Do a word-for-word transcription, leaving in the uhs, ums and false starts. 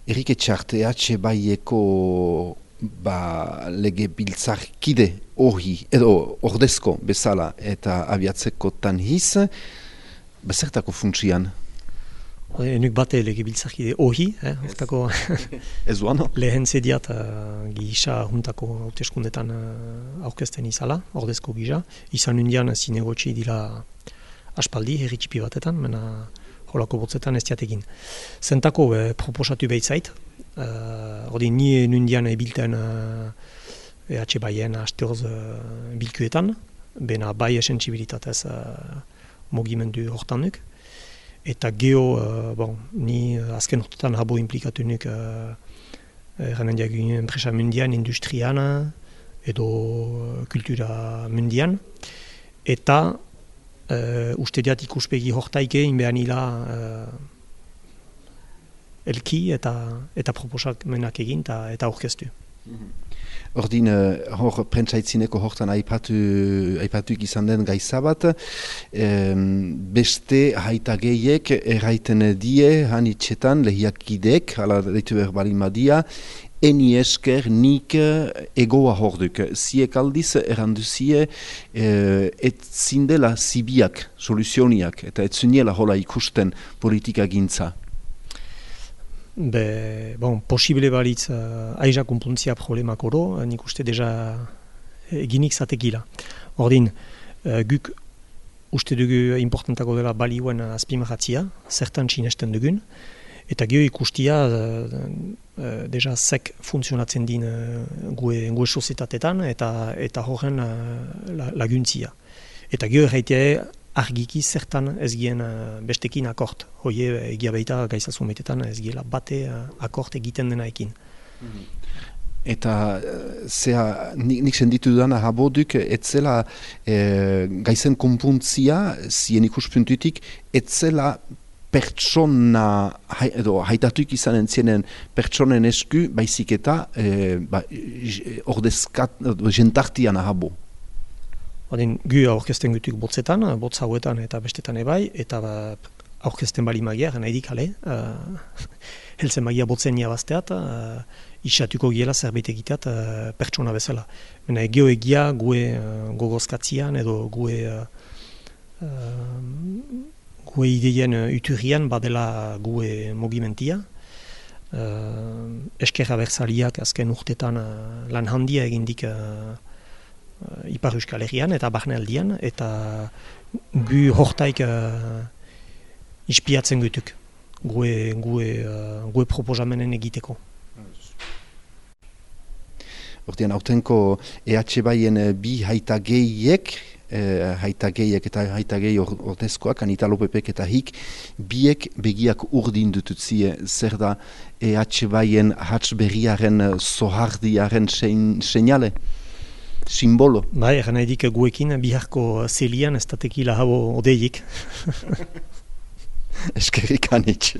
Erik Etxart, E H Baieko ba, lege biltzarkide hori, edo ordezko bezala eta abiatzeko tanhiz, bezertako funtsian? Enuk bate lege biltzarkide hori, eh, hortako ez duan, no? lehen zediat uh, gisa juntako hauteskundetan uh, aurkezten izala, ordezko gisa. Izan undian zinegotxi dira aspaldi, herritxipi batetan, mena holako botzetan ez diatekin. Zentako eh, proposatu behitzait, uh, ordi ni nundian ebilten uh, E H Baien asteoz uh, bilkuetan, bena bai esentsibilitatez uh, mogimendu hortanuk. Eta geho, uh, bon, ni uh, azken horretan habo implikatu nuk uh, erranen diagun enpresa mundian, industrian, edo uh, kultura mundian. Eta uh, uste diat ikuspegi hortaike inbean ila uh, elki eta, eta proposak menak egin eta, eta aurkeztu. Ordin, hor prentsaitzineko hortan aipatu, aipatuik izan den gaiza bat, em, beste haita gehiek erraiten die, han itxetan, lehiakidek, hala deitu behar balin badia, eni esker nik egoa horduk. Ziek aldiz erranduzie, eh, et zindela zibiak, soluzioniak, eta et zuniela hola ikusten politika gintza. Be, bon, posible balitz uh, aiza kumpuntzia problemak oro, nik uste deja eginik zatekila. Ordin, uh, guk uste dugu importantako dela balioen azpimarratzia, zertan sinesten dugun, eta geho ikustia uh, uh, deja zek funtzionatzen din uh, gue, gue sozietatetan eta, eta horren uh, laguntzia. Eta geho erraitea argiki zertan ez gien uh, bestekin akort. Hoie egia baita gaizazun baitetan ez giela bate uh, akort egiten denaekin. Eta zea, nik, nik senditu dudana haboduk, etzela e, gaizen konpuntzia, zien ikuspuntutik, etzela pertsona, hai, edo haitatuik izanen zienen pertsonen esku, baizik eta e, ba, ordezkat, jentartian ahabo. Odin, gu aurkezten gutuk botzetan, botz hauetan eta bestetan ebai, eta ba, aurkezten bali magia, nahi dikale, uh, helzen magia botzen niabazteat, uh, isatuko giela zerbait egiteat uh, pertsona bezala. Mena egio egia gue uh, gogozkatzian edo gue, uh, uh, gue ideien uh, uturian badela gue mogimentia. Uh, Eskerra berzaliak azken urtetan uh, lan handia egindik uh, Uh, Ipar Euskal Herrian eta Barnealdian, eta gu hortaik uh, ispiatzen gutuk, gue, gue, uh, gue proposamenen egiteko. Hortian, autenko E H Baien bi haita gehiek, eh, haita gehiek eta haita gehi ordezkoak, Anita Lopepek eta hik, biek begiak urdin dututzie, zer da E H Baien hatz berriaren, zohardiaren seinale? Simbolo. Bai, eran nahi dik guekin biharko zelian ez datekila habo odeiik. Eskerrik anitz.